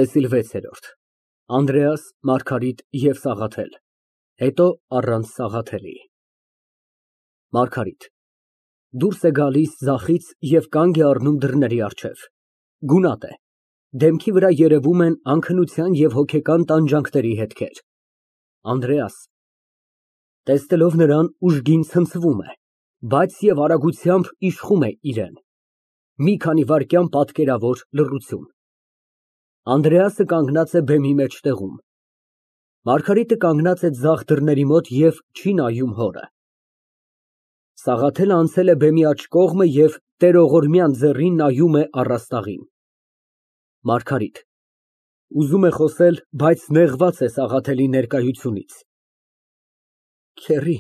ՏԵՍԻԼ վեցերորդ ԱՆԴՐԵԱՍ, ՄԱՐԳԱՐԻՏ և ՍԱՂԱԹԵԼ, հետո առանց Սաղաթելի ՄԱՐԳԱՐԻՏ ֊ (Դուրս է գալիս ձախից և կանգ է առնում դռների առջև, գունատ է, դեմքի վրա երևում են անքնության և հոգեկան տանջանքների հետքեր) ԱՆԴՐԵԱՍ ֊ (Տեսնելով նրան, ուժգին ցնցվում է, բայց և արագությամբ իշխում է իրեն) Մի քանի վայրկյան պատկերավոր լռություն։ (Անդրեասը կանգնած է բեմի մեջտեղում, Մարգարիտը կանգնած է ձախ դռների մոտ և չի նայում հորը։ Սաղաթելը անցել է բեմի աջ կողմը և տերողորմյան ձեռին նայում է առաստաղին)։ ՄԱՐԳԱՐԻՏ ֊ (Ուզում է խոսել, բայց նեղված է Սաղաթելի ներկայությունից) Քեռի,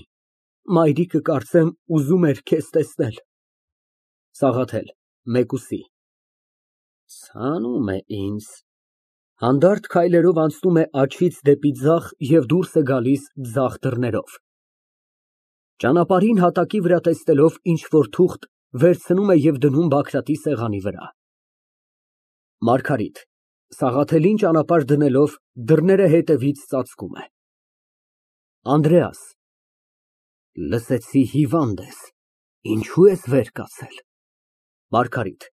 մայրիկը, կարծեմ, ուզում էր քեզ տեսնել։ ՍԱՂԱԹԵԼ ֊ (Մեկուսի) Ցանում է ինձ։ (Հանդարտ քայլերով անցնում է աջից դեպի ձախ և դուրս է գալիս ձախ դռներով։ Ճանապարհին հատակի վրա տեսնելով ինչ֊որ թուղթ, վերցնում է և դնում Բագրատի սեղանի վրա)։ ՄԱՐԳԱՐԻՏ ֊ (Սաղաթելին ճանապարհ դնելով, դռները հետևից ծածկում է) Անդրեաս, լսեցի հիվանդ ես, ինչո՞ւ ես վեր կացել։ ՄԱՐԳԱՐԻՏ ֊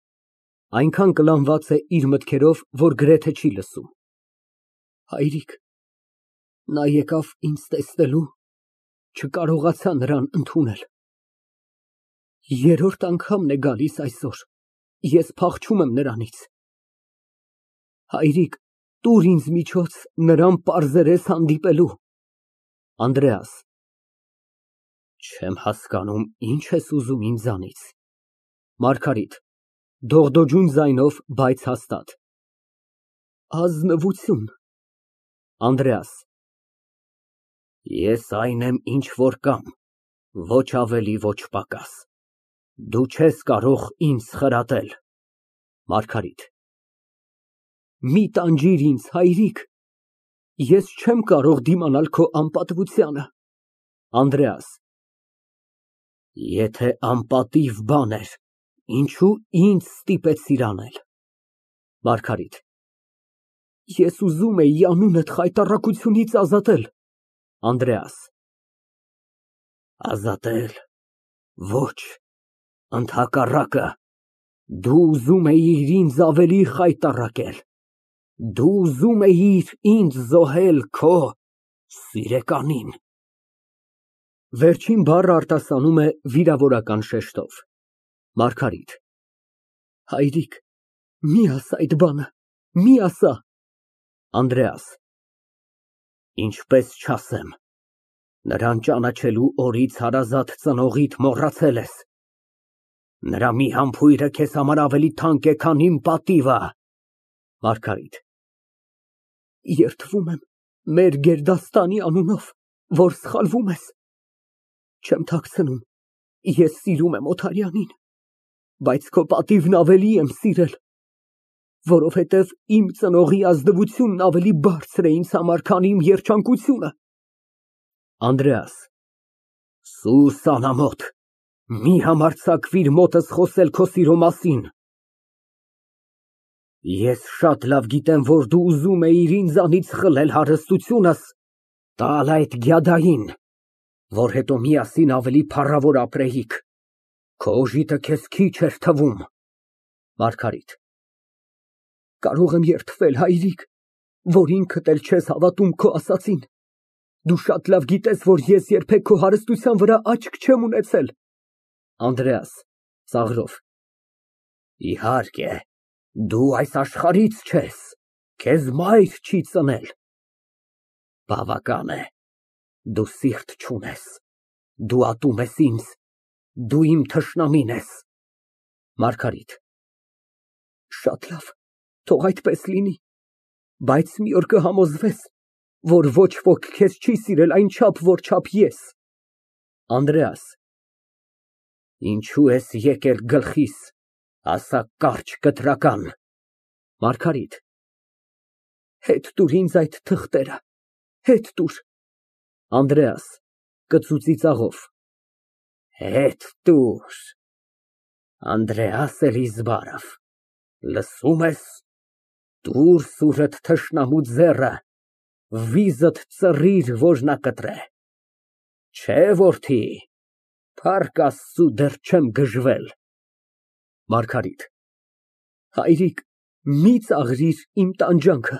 (Այնքան կլանված է իր մտքերով, որ գրեթե չի լսում) Հայրիկ, նա եկավ ինձ տեսնելու, չկարողացա նրան ընդունել։ Երրորդ անգամն է գալիս այսօր, ես փախչում եմ նրանից։ Հայրիկ, տուր ինձ միջոց նրան պարզերես հանդիպելու։ ԱՆԴՐԵԱՍ ֊ Չեմ հասկանում, ինչ ես ուզում ինձանից։ ՄԱՐԳԱՐԻՏ ֊ (Դողդոջուն ձայնով, բայց հաստատ) Ազնվություն։ ԱՆԴՐԵԱՍ ֊ Ես այն եմ, ինչ որ կամ, ոչ ավելի, ոչ պակաս, դու չես կարող ինձ խրատել։ ՄԱՐԳԱՐԻՏ ֊ Մի տանջիր ինձ, հայրիկ, ես չեմ կարող դիմանալ քո անպատվությանը։ ԱՆԴՐԵԱՍ ֊ Եթե անպատիվ բան էր, ինչո՞ւ ինձ ստիպեցիր անել։ ՄԱՐԳԱՐԻՏ ֊ Ես ուզում էի անունդ խայտառակությունից ազատել։ ԱՆԴՐԵԱՍ ֊ Ազատել, ոչ, ընդհակառակը, դու ուզում էիր ինձ ավելի խայտառակել, դու ուզում էիր ինձ զոհել քո սիրականին։ (Վերջին բառը արտասանում է վիրավորական շեշտով)։ ՄԱՐԳԱՐԻՏ ֊ Հայրիկ, մի ասա այդ բանը, մի ասա։ ԱՆԴՐԵԱՍ ֊ Ինչպես չասեմ, նրան ճանաչելու օրից հարազատ ծնողիդ մոռացել ես։ Նրա մի համբույրը քեզ համար ավելի թանկ է, քան իմ պատիվը։ ՄԱՐԳԱՐԻՏ ֊ Երդվում եմ մեր գերդաստանի անունով, որ սխալվում ես։ Չեմ թաքցնում, ես սիրում եմ Օթարյանին, բայց քո պատիվն ավելի եմ սիրել, որովհետև իմ ծնողի ազնվությունն ավելի բարձր է ինձ համար, քան իմ երջանկությունը։ ԱՆԴՐԵԱՍ ֊ Սուս անամոթ, մի համարձակվիր մոտս խոսել քո սիրո մասին։ Ես շատ լավ գիտեմ, որ դու ուզում էիր ինձանից խլել հարստությունս, տալ այդ գյադային, որ հետո միասին ավելի փառավոր ապրեիք, քո օժիտը քեզ քիչ էր թվում։ ՄԱՐԳԱՐԻՏ ֊ Կարող եմ երդվել, հայրիկ, որ ինքդ էլ չես հավատում քո ասածին։ Դու շատ լավ գիտես, որ ես երբեք քո հարստության վրա աչք չեմ ունեցել։ ԱՆԴՐԵԱՍ ֊ (Ծաղրով) Իհարկե, դու այս աշխարհից չես, քեզ մայր չի ծնել։ Բավական է, դու սիրտ չունես, դու ատում ես ինձ, դու իմ թշնամին ես։ ՄԱՐԳԱՐԻՏ ֊ Շատ լավ, թող այդպես լինի, բայց մի օր կհամոզվես, որ ոչ ոք քեզ չի սիրել այնչափ, որչափ ես։ ԱՆԴՐԵԱՍ ֊ Ինչո՞ւ ես եկել գլխիս, ասա կարճ, կտրական։ ՄԱՐԳԱՐԻՏ ֊ Հետ տուր ինձ այդ թղթերը, հետ տուր։ ԱՆԴՐԵԱՍ ֊ (Կծու ծիծաղով) Հետ տուր, Անդրեաս Էլիզբարով, լսո՞ւմ ես։ Տուր սուրդ թշնամու ձեռը, վիզդ ծռիր, որ նա կտրե։ Չէ, որդի, փառք Աստծու, դեռ չեմ գժվել։ ՄԱՐԳԱՐԻՏ ֊ Հայրիկ, մի ծաղրիր իմ տանջանքը,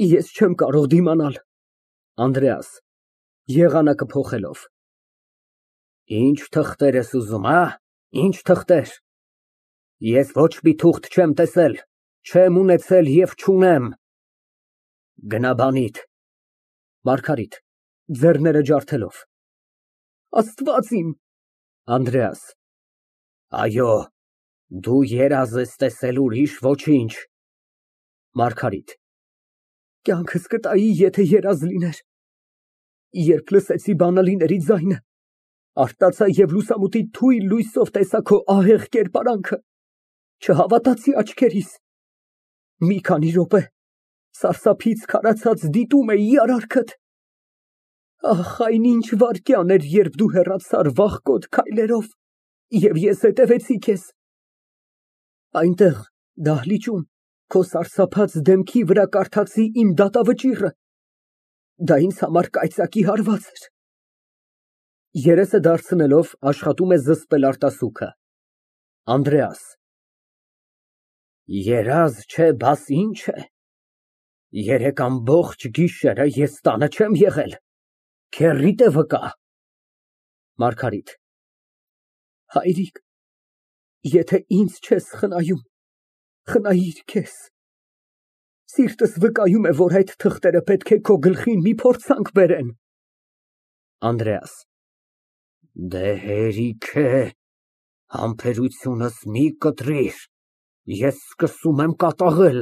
ես չեմ կարող դիմանալ։ ԱՆԴՐԵԱՍ ֊ (Եղանակը փոխելով) Ինչ թղթեր ես ուզում, ինչ թղթեր։ Ես ոչ մի թուղթ չեմ տեսել, չեմ ունեցել և չունեմ։ Գնա բանիդ։ ՄԱՐԳԱՐԻՏ ֊ (Ձեռները ջարդելով) Աստված իմ։ ԱՆԴՐԵԱՍ ֊ Այո, դու երազ ես տեսել, ուրիշ ոչինչ։ ՄԱՐԳԱՐԻՏ ֊ Կյանքս կտայի, եթե երազ լիներ։ Երբ լսեցի բանալիների ձայնը, արթնացա և լուսամուտի թույլ լույսով տեսա քո ահեղ կերպարանքը, չհավատացի աչքերիս։ Մի քանի րոպե սարսափից քարացած դիտում էի արարքդ։ Ահ, այն ինչ վայրկյան էր, երբ դու հեռացար վախկոտ քայլերով, և ես հետևեցի քեզ։ Այնտեղ, դահլիճում, քո սարսափած դեմքի վրա կարդացի իմ դատավճիռը, դա ինձ համար կայծակի հարված էր։ (Երեսը դարձնելով, աշխատում է զսպել արտասուքը)։ ԱՆԴՐԵԱՍ ֊ Երազ չէ, բաս ինչ է։ 3 ամբողջ գիշերը ես տանը չեմ եղել, քեռիդ է վկա։ ՄԱՐԳԱՐԻՏ ֊ Հայրիկ, եթե ինձ չես խնայում, խնայիր քեզ։ Սիրտս վկայում է, որ այդ թղթերը պետք է քո գլխին մի փորձանք բերեն։ ԱՆԴՐԵԱՍ ֊ Դե հերիք է, համբերությունս մի կտրիր, ես սկսում եմ կատաղել։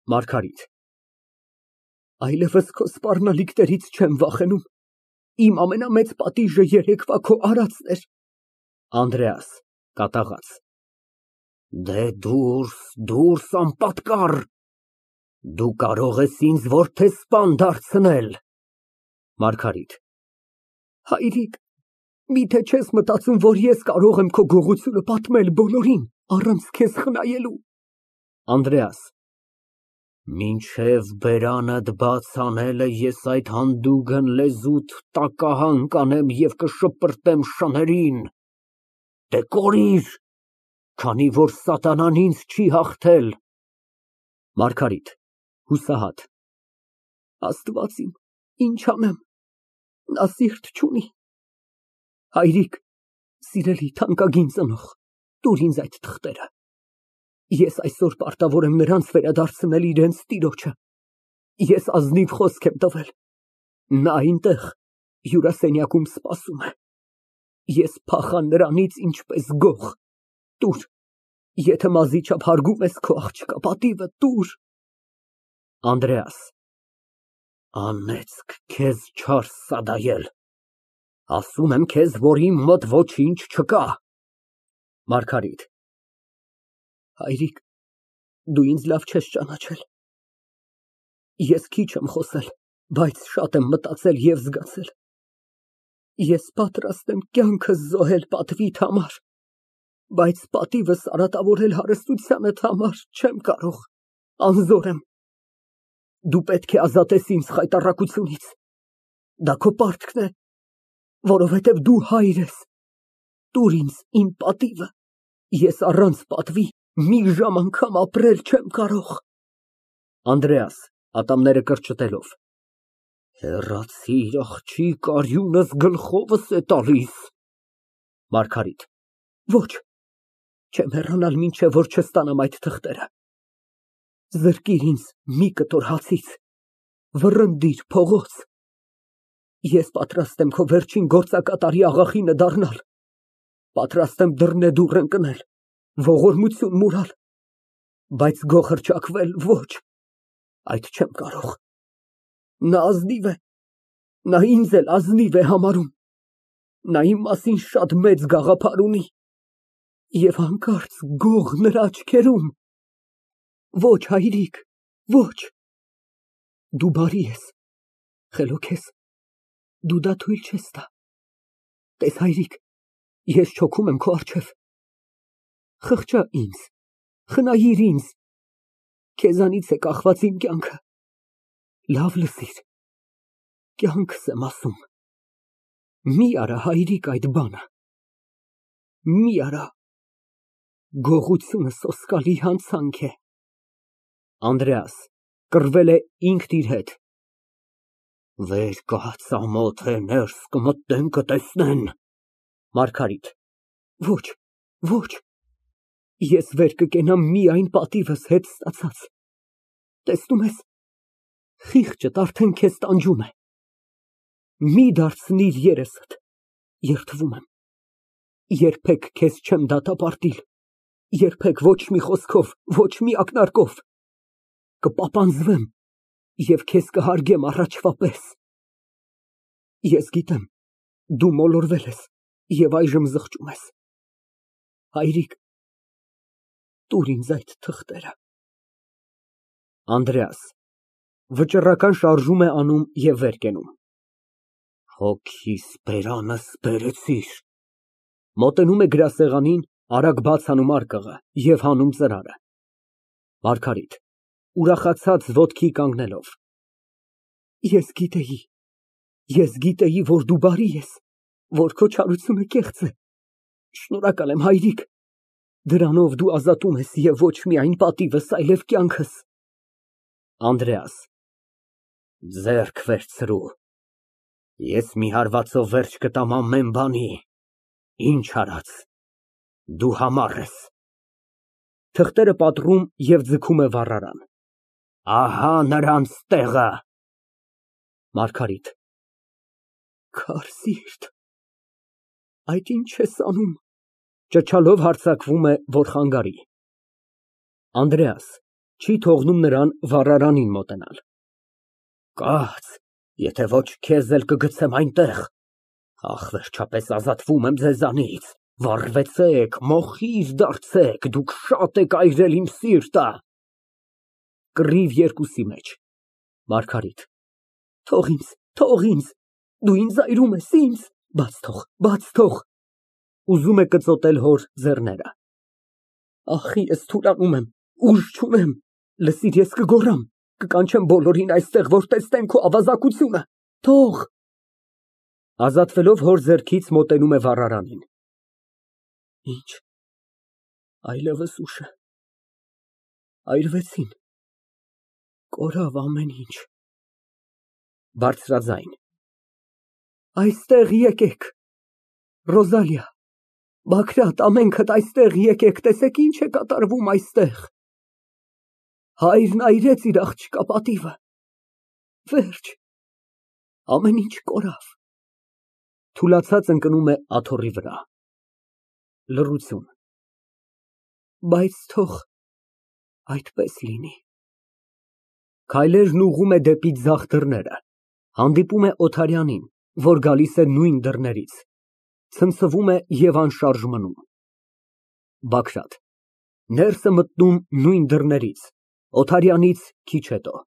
ՄԱՐԳԱՐԻՏ ֊ Այլևս քո սպառնալիքներից չեմ վախենում, իմ ամենամեծ պատիժը երեկվա քո արածն էր։ ԱՆԴՐԵԱՍ ֊ (Կատաղած) Դե դուրս, դուրս, անպատկառ, դու կարող ես ինձ որդեսպան դարձնել։ ՄԱՐԳԱՐԻՏ ֊ Հայրիկ, միթե չես մտածում, որ ես կարող եմ քո գողությունը պատմել բոլորին, առանց քեզ խնայելու։ ԱՆԴՐԵԱՍ ֊ Մինչև բերանդ բաց անելը ես այդ հանդուգն լեզուդ տակահան կանեմ և կշպրտեմ շներին։ Դե կորիր, քանի որ սատանան ինձ չի հաղթել։ ՄԱՐԳԱՐԻՏ ֊ (Հուսահատ) Աստված իմ, ինչ անեմ, նա սիրտ չունի։ Հայրիկ, սիրելի թանկագին ծնող, տուր ինձ այդ թղթերը, ես այսօր պարտավոր եմ նրանց վերադարձնել իրենց տիրոջը։ Ես ազնիվ խոսք եմ տվել, նա այնտեղ հյուրասենյակում սպասում է։ Ես փախա նրանից ինչպես գող, տուր, եթե մազի չափ հարգում ես քո աղջկա պատիվը, տուր։ ԱՆԴՐԵԱՍ ֊ Անեծք քեզ չար սադայել, ասում եմ քեզ, որ իմ մոտ ոչինչ չկա։ ՄԱՐԳԱՐԻՏ ֊ Հայրիկ, դու ինձ լավ չես ճանաչել։ Ես քիչ եմ խոսել, բայց շատ եմ մտածել և զգացել։ Ես պատրաստ եմ կյանքս զոհել պատվիդ համար, բայց պատիվս արատավորել հարստությանդ համար չեմ կարող, անզոր եմ։ Դու պետք է ազատես ինձ խայտառակությունից, դա քո պարտքն է, որովհետև դու հայր ես։ Տուր ինձ իմ պատիվը, ես առանց պատվի մի ժամ անգամ ապրել չեմ կարող։ ԱՆԴՐԵԱՍ ֊ (Ատամները կրճտելով) Հեռացիր, աղջիկ, արյունս գլխովս է տալիս։ ՄԱՐԳԱՐԻՏ ֊ Ոչ, չեմ հեռանալ, մինչև որ չստանամ այդ թղթերը։ Զրկիր ինձ մի կտոր հացից, վռնդիր փողոց։ Ես պատրաստ եմ քո վերջին գործակատարի աղախինը դառնալ, պատրաստ եմ դռնեդուռ ընկնել, ողորմություն մուրալ, բայց գող հռչակվել ոչ, այդ չեմ կարող։ Նա ազնիվ է, նա ինձ էլ ազնիվ է համարում, նա իմ մասին շատ մեծ գաղափար ունի, և հանկարծ գող նրա աչքերում։ Ոչ, հայրիկ, ոչ։ Դու բարի ես, խելոք ես, դու դա թույլ չես տա։ Տես, հայրիկ, ես չոքում եմ քո առջև։ Խղճա ինձ, խնայիր ինձ, Քեզանից է կախված իմ կյանքը։ Լավ լսիր, կյանքս եմ ասում։ Մի արա հայրիկ այդ բանը։ Մի արա, գողությունը սոսկալի հանցանք է։ ԱՆԴՐԵԱՍ ֊ (Կռվել է ինքն իր հետ) Վեր կաց, ամոթ է, ներս կմտնեն, կտեսնեն։ ՄԱՐԳԱՐԻՏ ֊ Ոչ, ոչ, ես վեր կկենամ միայն պատիվս հետ ստացած։ Տեսնում ես, խիղճդ արդեն քեզ տանջում է։ Մի դարձնիր երեսդ, երդվում եմ։ Երբեք քեզ չեմ դատապարտել, երբեք ոչ մի խոսքով, ոչ մի ակնարկով։ Կպապանձվեմ և քեզ կհարգեմ առաջվա պես։ Ես գիտեմ, դու մոլորվել ես և այժմ զղջում ես։ Հայրիկ, տուր ինձ այդ թղթերը։ ԱՆԴՐԵԱՍ ֊ (Վճռական շարժում է անում և վեր կենում) Հոգիս բերանս բերեցիր։ (Մոտենում է գրասեղանին, արագ բաց անում արկղը և հանում ծրարը)։ ՄԱՐԳԱՐԻՏ ֊ (Ուրախացած ոտքի կանգնելով) Ես գիտեի, որ դու բարի ես, որ քո չարությունը կեղծ է։ Շնորհակալ եմ, հայրիկ, դրանով դու ազատում ես և ոչ միայն պատիվս, այլև կյանքս։ ԱՆԴՐԵԱՍ ֊ Ձեռք վերցրու, ես մի հարվածով վերջ կտամ ամեն բանի, ինչ արած, դու համառ ես։ (Թղթերը պատռում և ձգում է վառարան) Ահա նրանց տեղը։ ՄԱՐԳԱՐԻՏ ֊ Քարսիրտ, այդ ինչ ես անում։ (Ճչալով հարձակվում է, որ խանգարի)։ ԱՆԴՐԵԱՍ ֊ (Չի թողնում նրան վառարանին մոտենալ) Կաց, եթե ոչ քեզ էլ կգցեմ այնտեղ։ Ահ, վերջապես ազատվում եմ ձեզանից։ Վառվեցեք, մոխիր դարձեք, դուք շատ եք այրել իմ սիրտը։ (Կռիվ երկուսի մեջ) ՄԱՐԳԱՐԻՏ ֊ Թող ինձ, դու ինձ այրում ես, ինձ, բաց թող։ (Ուզում է կծոտել հոր ձեռները) Ախ, ես թուլանում եմ, ուժ չունեմ, լսիր, ես կգոռամ, կկանչեմ բոլորին այստեղ, որ տեսնեն քո ավազակությունը, թող։ (Ազատվելով հոր ձեռքից, մոտենում է վառարանին) Ինչ, այլևս ուշ է, այրվեցին, կորավ ամեն ինչ։ (Բարձրաձայն) Այստեղ եկեք, Ռոզալիա, Բագրատ, ամենքդ այստեղ եկեք, տեսեք ինչ է կատարվում այստեղ։ Հայրն այրեց իր աղջկա պատիվը, վերջ, ամեն ինչ կորավ։ (Թուլացած ընկնում է աթոռի վրա)։ Լռություն։ Բայց թող այդպես լինի։ (Քայլերն ուղղում է դեպի ձախ դռները, հանդիպում է Օթարյանին, որ գալիս է նույն դռներից, ցնցվում է և անշարժ մնում)։ ԲԱԳՐԱՏ ֊ (Ներս է մտնում նույն դռներից, Օթարյանից քիչ հետո)։